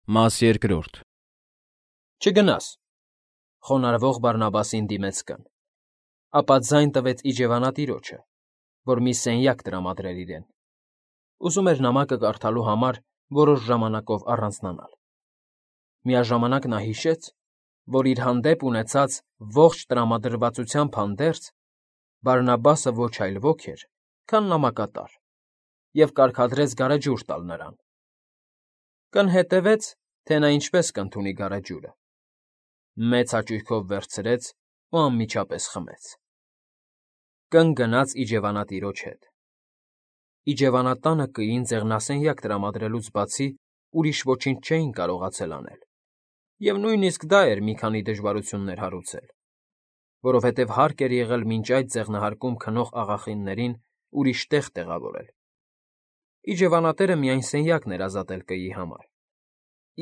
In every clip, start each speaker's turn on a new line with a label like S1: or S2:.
S1: Մաս երկրորդ
S2: Չգնաս, խոնարհվող Բարնաբասին դիմեց կին, ապա ձայն տվեց իջևանատիրոջը, որ մի սենյակ տրամադրեր իրեն. ուզում էր նամակը կարդալու համար որոշ ժամանակով առանձնանալ. միաժամանակ նա հիշեց, որ իր հանդեպ ունեցած ողջ տրամադրվածությամբ հանդերձ Բարնաբասը ոչ այլ ոք էր, քան նամակատար, և կարգադրեց գարեջուր տալ նրան. կին հետևեց, թե նա ինչպես կընդունի գարեջուրը, մեծ հաճույքով վերցրեց ու անմիջապես խմեց. կին գնաց իջևանատիրոջ հետ. իջևանատանը կին ձեղնասենյակ տրամադրելուց բացի ուրիշ ոչինչ չէին կարողացել անել, և նույնիսկ դա էր մի քանի դժվարություններ հարուցել, որովհետև հարկ էր եղել մինչ այդ ձեղնահարկում քնող աղախիններին ուրիշ տեղ տեղավորել. իջևանատերը միայն սենյակն էր ազատել կիի համար,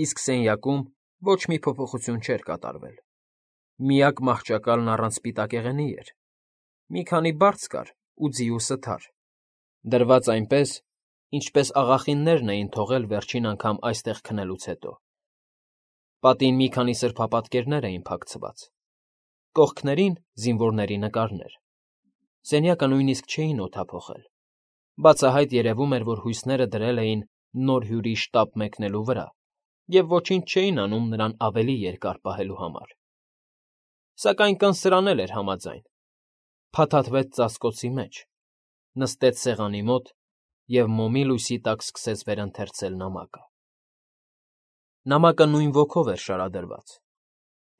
S2: իսկ սենյակում ոչ մի փոփոխություն չէր կատարվել, միակ մահճակալն առանց սպիտակեղենի էր, մի քանի բարձ կար ու ձիու սթար, դրված այնպես, ինչպես աղախիններն էին թողել վերջին անգամ այստեղ քնելուց հետո. պատին մի քանի սրբապատկերներ էին փակցված, կողքներին զինվորների նկարներ, սենյակը նույնիսկ չէին օդափոխել, բացահայտ երևում էր, որ հույսները դրել էին նոր հյուրի շտապ մեկնելու վրա և ոչինչ չէին անում նրան ավելի երկար պահելու համար. սակայն կին սրան էլ էր համաձայն, փաթաթվեց ծածկոցի մեջ, նստեց սեղանի մոտ և մոմի լույսի տակ սկսեց վերընթերցել նամակը. նամակը նույն ոգով էր շարադրված,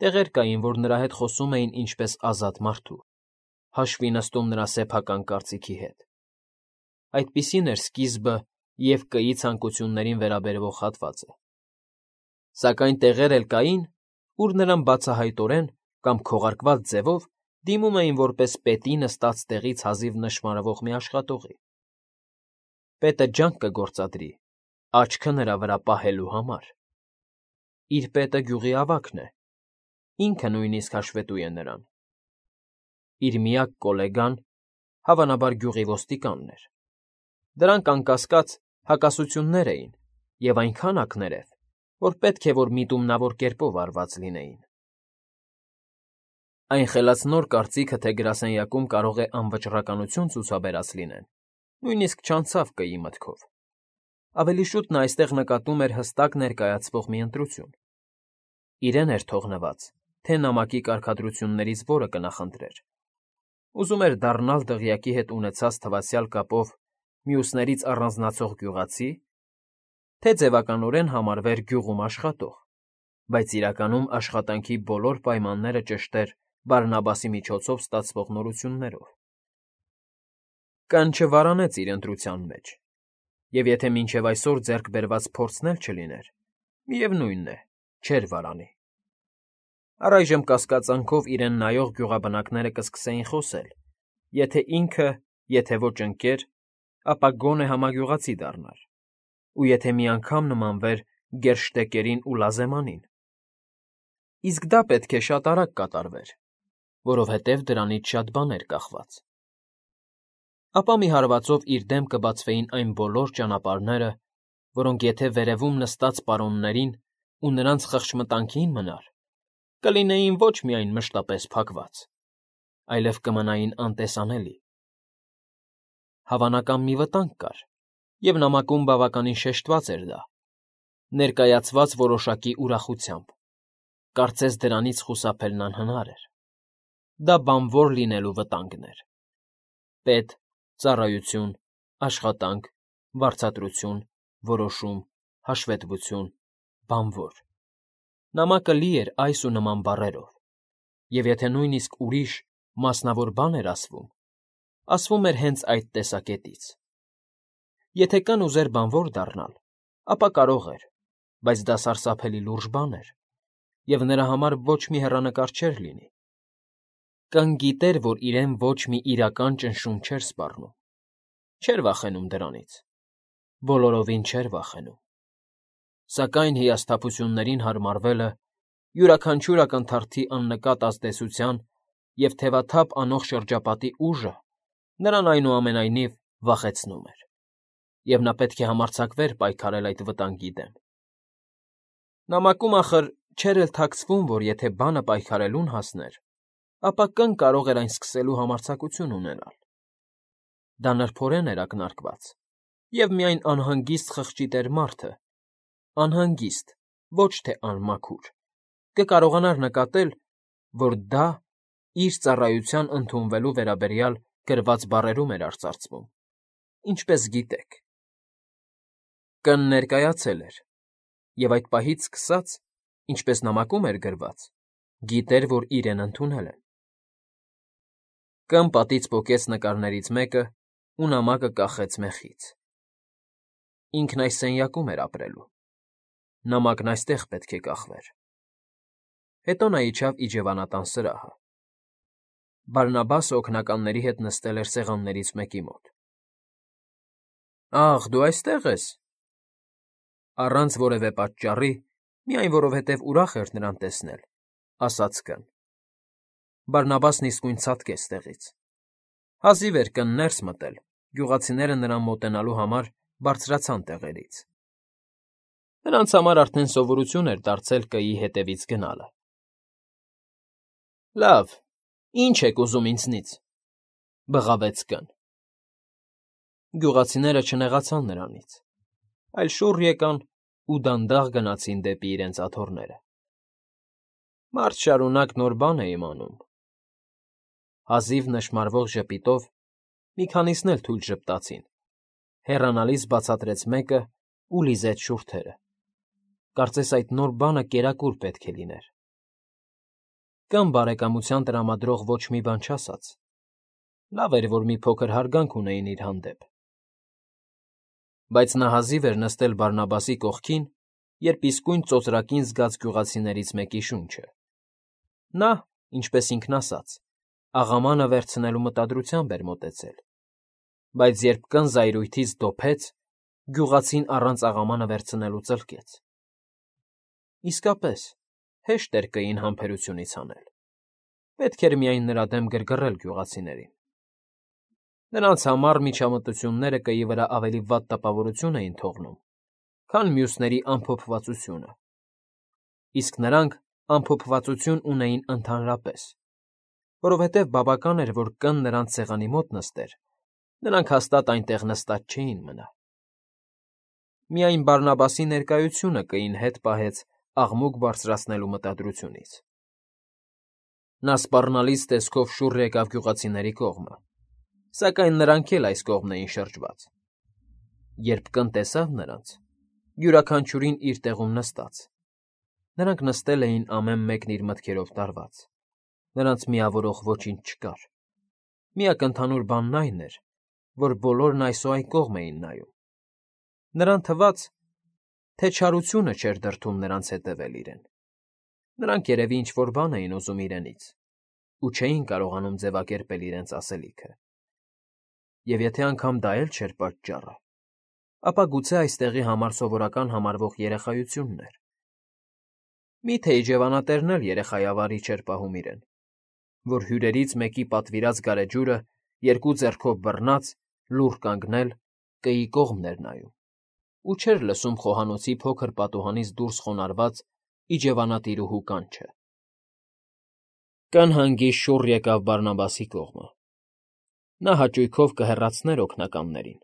S2: տեղեր կային, որ նրա հետ խոսում էին ինչպես ազատ մարդու, հաշվի նստում նրա սեփական կարծիքի հետ. այդպիսին էր սկիզբը և կիի ցանկություններին վերաբերող հատվածը, սակայն տեղեր էլ կային, ուր նրան բացահայտորեն կամ քողարկված ձևով դիմում էին որպես պետի նստած տեղից հազիվ նշմարվող մի աշխատողի. պետը ջանք կգործադրի աչքը նրա վրա պահելու համար. իր պետը գյուղի ավագն է, ինքը նույնիսկ հաշվետու է նրան. իր միակ գոլեգան, հավանաբար գյուղի ոստիկանն էր. դրանք անկասկած հակասություններ էին և այնքան ակներև, որ պետք է որ միտումնավոր կերպով արված լինեին. այն խելացնոր կարծիքը, թե գրասենյակում կարող է անվճռականություն ցուցաբերած լինեն, նույնիսկ չանցավ կիի մտքով. ավելի շուտ նա այստեղ նկատում էր հստակ ներկայացվող մի ընտրություն. իրեն էր թողնված, թե նամակի կարգադրություններից որը կնախընտրեր, ուզում էր դառնալ դղյակի հետ ունեցած թվացյալ կապով մյուսներից առանձնացող գյուղացի, թե ձևականորեն համարվեր գյուղում աշխատող, բայց իրականում աշխատանքի բոլոր պայմանները ճշտեր Բարնաբասի միջոցով ստացվող նորություններով. կին չվարանեց իր ընտրության մեջ, և եթե մինչև այսօր ձեռք բերված փորձն էլ չլիներ, միևնույն է, չէր վարանի. առայժմ կասկածանքով իրեն նայող գյուղաբնակները կսկսեին խոսել, եթե ինքը, եթե ոչ ընկեր, ապա գոնե համագյուղացի դառնար, ու եթե մի անգամ նմանվեր գերշտեկերին ու լազեմանին, իսկ դա պետք է շատ արագ կատարվեր, որովհետև դրանից շատ բան էր կախված. ապա մի հարվածով իր դեմ կբացվեին այն բոլոր ճանապարհները, որոնք եթե վերևում նստած պարոններին ու նրանց խղճմտանքին մնար, կլինեին ոչ միայն մշտապես փակված, այլև կմնային անտեսանելի. հավանական մի վտանգ կար, և նամակում բավականին շեշտված էր դա, ներկայացված որոշակի ուրախությամբ, կարծես դրանից խուսափելն անհնար էր. դա բանվոր լինելու վտանգն էր. պետ, ծառայություն, աշխատանք, վարձատրություն, որոշում, հաշվետվություն, բանվոր. նամակը լի էր այս ու նման բառերով, և եթե նույնիսկ ուրիշ, մասնավոր բան էր ասվում էր հենց այդ տեսակետից. եթե կին ուզեր բանվոր դառնալ, ապա կարող էր, բայց դա սարսափելի լուրջ բան էր, և նրա համար ոչ մի հեռանկար չէր լինի. կին գիտեր, որ իրեն ոչ մի իրական ճնշում չէր սպառնում, չէր վախենում դրանից, բոլորովին չէր վախենում, սակայն հիասթափություններին հարմարվելը, յուրաքանչյուր ակնթարթի աննկատ ազդեցության և թևաթափ անող շրջապատի ուժը նրան այնուամենայնիվ վախեցնում էր, և նա պետք է համարձակվեր պայքարել այդ վտանգի դեմ. Նամակում ախր չէր էլ թաքցվում, որ եթե բանը պայքարելուն հասներ, ապա կն կարող էր այն սկսելու համարձակություն ունենալ։ Դա նրբորեն էր ակնարկված, և միայն անհանգիստ խղճի տեր մարդը, անհանգիստ, ոչ թե անմաքուր, կկարողանար նկատել, որ դա իր ծառայության ընդունվելու վերաբերյալ գրված բառերում էր արծարծվում, ինչպես գիտեք։ Կն ներկայացել էր, և այդ պահից սկսած, ինչպես նամակում էր գրված, գիտեր, որ իրեն ընդունել են։ Կն պատից պոկեց նկարներից մեկը ու նամակը կախեց մեխից։ Ինքն այս սենյակում էր ապրելու։ Նամակն այստեղ պետք է կախվեր։ Հետո նա իջավ իջևանատան սրահը։ Բարնաբասը օգնականների հետ նստել էր սեղաններից մեկի մոտ։ Ախ, դու այստեղ ես։ Առանց որևէ պատճառի, միայն որովհետև ուրախ էր նրան տեսնել, ասաց կն։ Բարնաբասն իսկույն ցատկեց տեղից։ Հազիվ էր կն ներս մտել, գյուղացիները նրան մոտենալու համար բարձրացան տեղերից։ Նրանց համար արդեն սովորություն էր դարձել կգի հետևից գնալը։ Լավ, ինչ եք ուզում ինձնից,֊ բղավեց կն։ Գյուղացիները չնեղացան նրանից, այլ շուռ եկան ու դանդաղ գնացին դեպի իրենց աթոռները։ Մարդ շարունակ նոր բան է իմանում։ Հազիվ նշմարվող ժպիտով մի քանիսն էլ թույլ ժպտացին, հեռանալիս բացատրեց մեկը ու լիզեց շուրթերը։ Կարծես այդ նոր բանը կերակուր պետք է լիներ։ Կն բարեկամության տրամադրող ոչ մի բան չասաց։ Լավ էր, որ մի փոքր հարգանք ունեին իր հանդեպ։ Բայց նա հազիվ էր նստել Բարնաբասի կողքին, երբ իսկույն ծոծրակին զգաց գյուղացիներից մեկի շունչը։ Նա, ինչպես ինքն ասաց, աղամանը վերցնելու մտադրությամբ էր մոտեցել, բայց երբ կն զայրույթից դոփեց, գյուղացին առանց աղամանը վերցնելու ծլկեց։ Իսկապես, հեշտ էր կգին համբերությունից հանել։ Պետք էր միայն նրա դեմ գրգռել գյուղացիներին։ Նրանց համար միջամտությունները կգի վրա ավելի վատ տպավորություն էին թողնում, քան մյուսների ամփոփվածությունը։ Իսկ նրանք ամփոփվածություն ունեին ընդհանրապես, որովհետև բավական էր, որ կն նրանց սեղանի մոտ նստեր, նրանք հաստատ այնտեղ նստած չէին մնա։ Միայն Բարնաբասի ներկայությունը կգին հետ պահեց աղմուկ բարձրացնելու մտադրությունից։ Նա սպառնալից տեսքով շուռ եկավ գյուղացիների կողմը, սակայն նրանք էլ այս կողմն էին շրջված։ Երբ կն տեսավ նրանց, յուրաքանչյուրին իր տեղում նստած, նրանք նստել էին ամեն մեկն իր մտքերով տարված, նրանց միավորող ոչինչ չկար։ Միակ ընդհանուր բանն այն էր, որ բոլորն այսօ այն կողմ էին նայում։ Նրան թվաց, թե չարությունը չէր դրդում նրանց հետևել իրեն։ Նրանք երևի ինչ֊որ բան էին ուզում իրենից ու չէին կարողանում ձևակերպել իրենց ասելիքը։ Եվ եթե անգամ դա էլ չէր պատճառը, ապա գուցե այստեղի համար սովորական համարվող երեխայությունն էր։ Մի՞թե իջևանատերն էլ երեխայավարի չէր պահում իրեն, որ հյուրերից մեկի պատվիրած գարեջուրը երկու ձեռքով բռնած, լուռ կանգնել, կգի կողմն էր նայում, ու չէր լսում խոհանոցի փոքր պատուհանից դուրս խոնարհված իջևանատիրուհու կանչը։ Կն հանգիստ շուռ եկավ Բարնաբասի կողմը։ Նա հաճույքով կհեռացներ օգնականներին,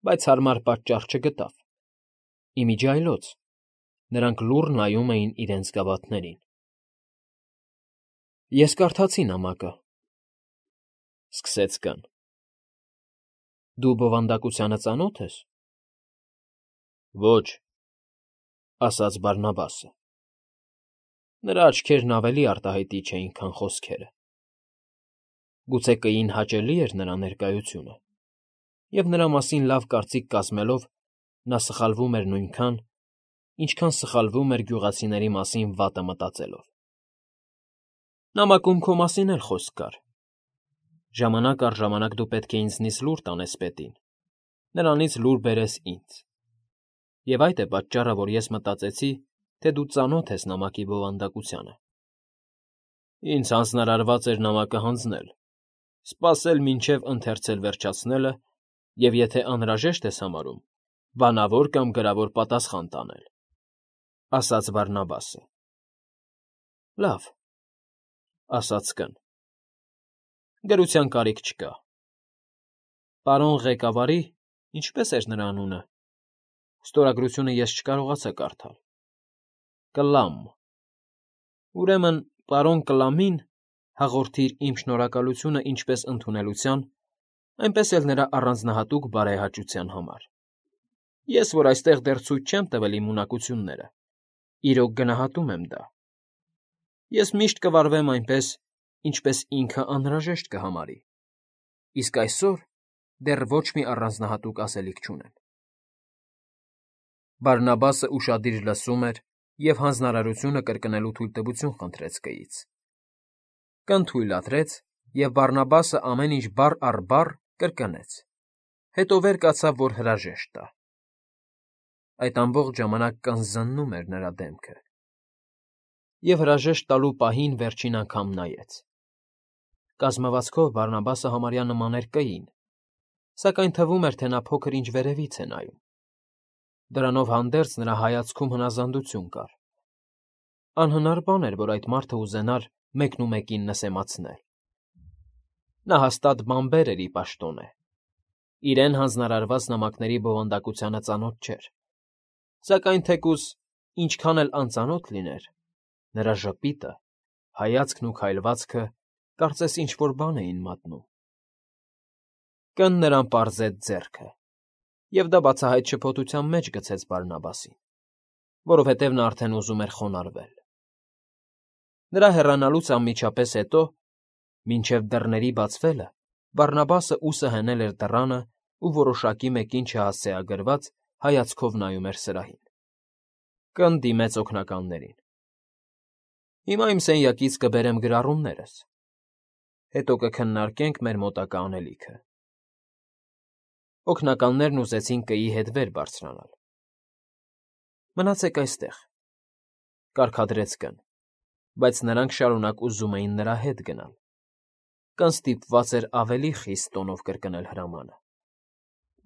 S2: բայց հարմար պատճառ չգտավ։ Ի միջի այլոց նրանք լուռ նայում էին իրենց գավաթներին։ Ես կարդացի նամակը,֊ սկսեց կն։ Դու բովանդակությանը ծանո՞թ ես։ Ոչ,֊ ասաց Բարնաբասը։ Նրա աչքերն ավելի արտահայտիչ էին, քան խոսքերը։ Գուցե կգին հաճելի էր նրա ներկայությունը, և նրա մասին լավ կարծիք կազմելով նա սխալվում էր նույնքան, ինչքան սխալվում էր գյուղացիների մասին վատը մտածելով։ Նամակում քո մասին էլ խոսք կար։ Ժամանակ առ ժամանակ դու պետք է ինձնից լուր տանես պետին, նրանից լուր բերես ինձ։ Եվ այդ է պատճառը, որ ես մտածեցի, թե դու ծանոթ ես նամակի բովանդակությանը։ Ինձ հանձնարարված էր նամակը հանձնել, սպասել մինչև ընթերցել վերջացնելը և եթե անհրաժեշտ ես համարում, բանավոր կամ գրավոր պատասխան տանել։ ասաց Բարնաբասը։ Լավ, ասաց կն։ Գրության կարիք չկա։ Պարոն ղեկավարի, ինչպես էր նրա անունը։ Ստորագրությունը ես չկարողացա կարդալ։ Կլամ։ Ուրեմն, պարոն Կլամին հաղորդիր իմ շնորհակալությունը ինչպես ընդունելության, այնպես էլ նրա առանձնահատուկ բարեհաճության համար։ Ես, որ այստեղ դեռ ցույց չեմ տվել իմ ունակությունները, իրոք գնահատում եմ դա։ Ես միշտ կվարվեմ այնպես, ինչպես ինքը անհրաժեշտ կհամարի, իսկ այսօր դեռ ոչ մի առանձնահատուկ ասելիք չունեմ։ Բարնաբասը ուշադիր լսում էր և հանձնարարությունը կրկնելու թույլտվություն խնդրեց կից։ Կն թույլատրեց, և Բարնաբասը ամեն ինչ բառ առ բառ կրկնեց, հետո վեր կացավ, որ հրաժեշտ տա։ Այդ ամբողջ ժամանակ կն զննում էր նրա դեմքը։ Եվ հրաժեշտ տալու պահին վերջին անգամ նայեց։ Կազմվածքով Բարնաբասը համարյա նման էր կային, սակայն թվում էր, թե նա փոքր-ինչ վերևից է նայում։ Դրանով հանդերձ նրա հայացքում հնազանդություն կար։ Անհնար բան էր, որ այդ մարդը ուզենար մեկնումեկին նսեմացնել։ Նա հաստատ բանբեր էր ի պաշտոնե։ Իրեն հանձնարարված նամակների բովանդակությանը ծանոթ չէր։ Սակայն թեկուզ ինչքան էլ անծանոթ լիներ, նրա ժպիտը, հայացքն ու քայլվածքը կարծես ինչ-որ բան էին մատնում։ Կն նրան պարզեց ձեռքը, և դա բացահայտ շփոթության մեջ գցեց Բարնաբասին, որովհետև նա արդեն ուզում էր խոնարհվել։ Նրա հեռանալուց անմիջապես հետո, մինչև դռների բացվելը, Բարնաբասը ուսը հնել էր դռանը ու որոշակի մեկին չհասցեագրված հայացքով նայում էր սրահին։ Կն դիմեց օգնականներին։ Հիմա իմ սենյակից կբերեմ գրառումներս, հետո կքննարկենք մեր մոտակա անելիքը։ Օգնականներն ուզեցին կայի հետ վեր բարձրանալ։ Մնացեք այստեղ, կարգադրեց կն, բայց նրանք շարունակ ուզում էին նրա հետ գնալ։ Կն ստիպված էր ավելի խիստ տոնով կրկնել հրամանը։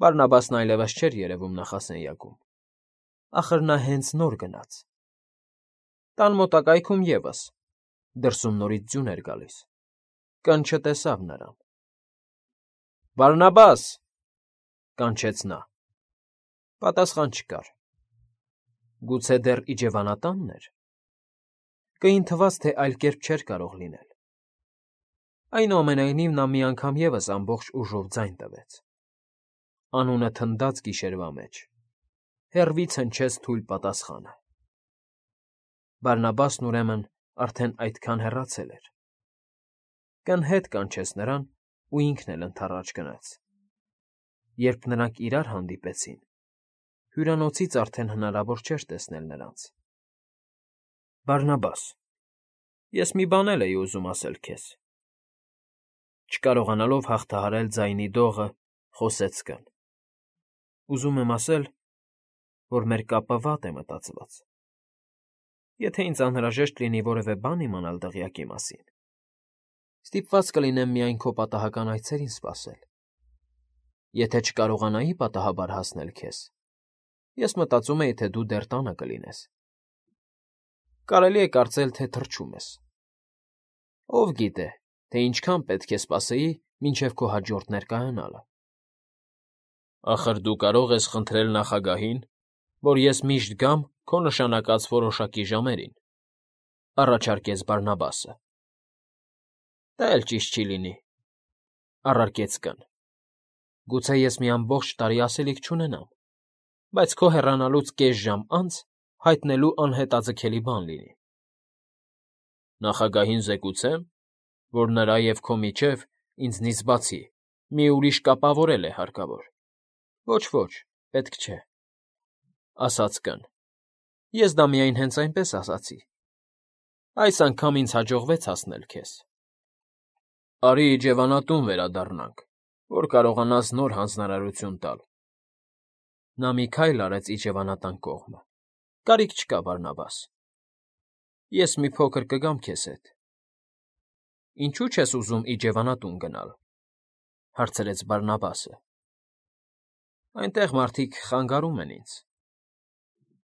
S2: Բարնաբասն այլևս չէր երևում նախասենյակում։ Ախր նա հենց նոր գնաց։ Տան մոտակայքում ևս, դրսում նորից ձյուն էր գալիս։ Կն չտեսավ նրան։ Բարնաբաս, կանչեց նա։ Պատասխան չկար։ Գուցե դեռ իջևանատա՞նն էր։ Կին թվաց, թե այլ կերպ չէր կարող լինել։ Այնուամենայնիվ նա մի անգամ ևս ամբողջ ուժով ձայն տվեց։ Անունը թնդաց գիշերվա մեջ։ Հեռվից հնչեց թույլ պատասխանը։ Բարնաբասն ուրեմն արդեն այդքան հեռացել էր։ Կն հետ կանչեց նրան ու ինքն էլ ընդառաջ գնաց։ Երբ նրանք իրար հանդիպեցին, հյուրանոցից արդեն հնարավոր չէր տեսնել նրանց։ Բարնաբաս, ես մի բան էլ էի ուզում ասել քեզ։ Չկարողանալով հաղթահարել ձայնի դողը, խոսեց կն։ Ուզում եմ ասել, որ մեր կապը վատ է մտածված։ Եթե ինձ անհրաժեշտ լինի որևէ բան իմանալ դղյակի մասին, ստիպված կլինեմ միայն քո պատահական այցերին սպասել։ Եթե չկարողանայի պատահաբար հասնել քեզ, ես մտածում էի, թե դու դեռ տանը կլինես։ Կարելի է կարծել, թե թրջում ես։ Ով գիտե, թե ինչքան պետք է սպասեի, մինչև քո հաջորդ ներկայանալը։ Ախր դու կարող ես խնդրել նախագահին, որ ես միշտ գամ քո նշանակած որոշակի ժամերին, առաջարկեց Բարնաբասը։ Դա էլ ճիշտ չի լինի, առարկեց կն։ Գուցե ես մի ամբողջ տարի ասելիք չունենամ, բայց քո հեռանալուց կես ժամ անց հայտնելու անհետաձգելի բան լինի։ Նախագահին զեկուցե՞մ, որ նրա և քո միջև, ինձնից բացի, մի ուրիշ կապավորել է հարկավոր։ Ոչ, պետք չէ, ասաց կն։ Ես դա միայն հենց այնպես ասացի։ Այս անգամ ինձ հաջողվեց հասնել քեզ։ Արի իջևանատուն վերադառնանք, որ կարողանաս նոր հանձնարարություն տալ։ Նա մի քայլ արեց իջևանատան կողմը։ Կարիք չկա, Բարնաբաս։ Ես մի փոքր կգամ քեզ հետ։ Ինչու՞ չես ուզում իջևանատուն գնալ, հարցրեց Բարնաբասը։ Այնտեղ մարդիկ խանգարում են ինձ։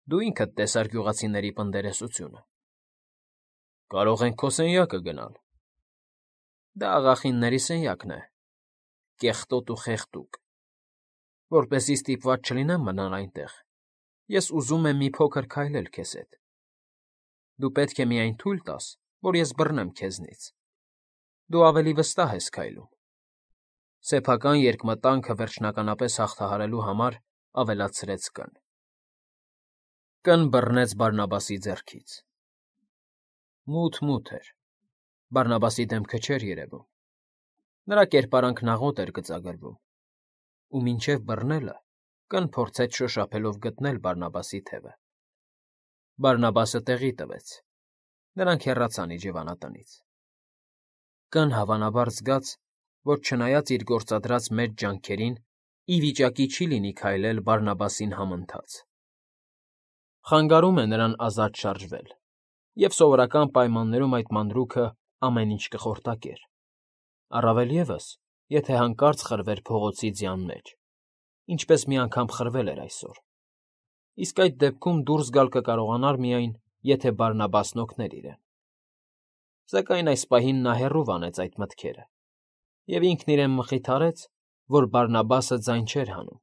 S2: Դու ինքդ տեսար գյուղացիների պնդերեսությունը։ Կարող ենք քո սենյակը գնալ։ Դա աղախինների սենյակն է, կեղտոտ ու խեղդուկ։ Որպեսզի ստիպված չլինեմ մնալ այնտեղ, ես ուզում եմ մի փոքր քայլել քեզ հետ։ Դու պետք է միայն թույլ տաս, որ ես բռնեմ քեզնից։ Դու ավելի վստահ ես քայլում։ Սեփական երկմտանքը վերջնականապես հաղթահարելու համար ավելացրեց Կ֊ն։ Կ֊ն բռնեց Բարնաբասի ձեռքից։ Մութ էր, Բարնաբասի դեմքը չէր երևում, նրա կերպարանքն աղոտ էր գծագրվում, ու մինչև բռնելը Կ֊ն փորձեց շոշափելով գտնել Բարնաբասի թևը։ Բարնաբասը տեղի տվեց, նրանք հեռացան իջևանատնից։ Կ֊ն հավանաբար զգաց, որ չնայած իր գործադրած մեծ ջանքերին, ի վիճակի չի լինի քայլել Բարնաբասին համընթաց։ Խանգարում է նրան ազատ շարժվել, և սովորական պայմաններում այդ մանրուքը ամեն ինչ կխորտակեր, առավել ևս, եթե հանկարծ խրվեր փողոցի ձյան մեջ, ինչպես մի անգամ խրվել էր այսօր, իսկ այդ դեպքում դուրս գալ կկարողանար միայն, եթե Բարնաբասն օգներ իրեն։ Սակայն այս պահին նա հեռու վանեց այդ մտքերը, և ինքն իրեն մխիթարեց, որ Բարնաբասը ձայն չէր հանում։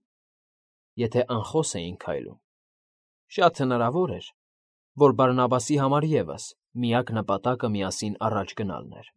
S2: Եթե անխոս էին քայլում, շատ հնարավոր էր, որ Բարնաբասի համար ևս միակ նպատակը միասին առաջ գնալն էր։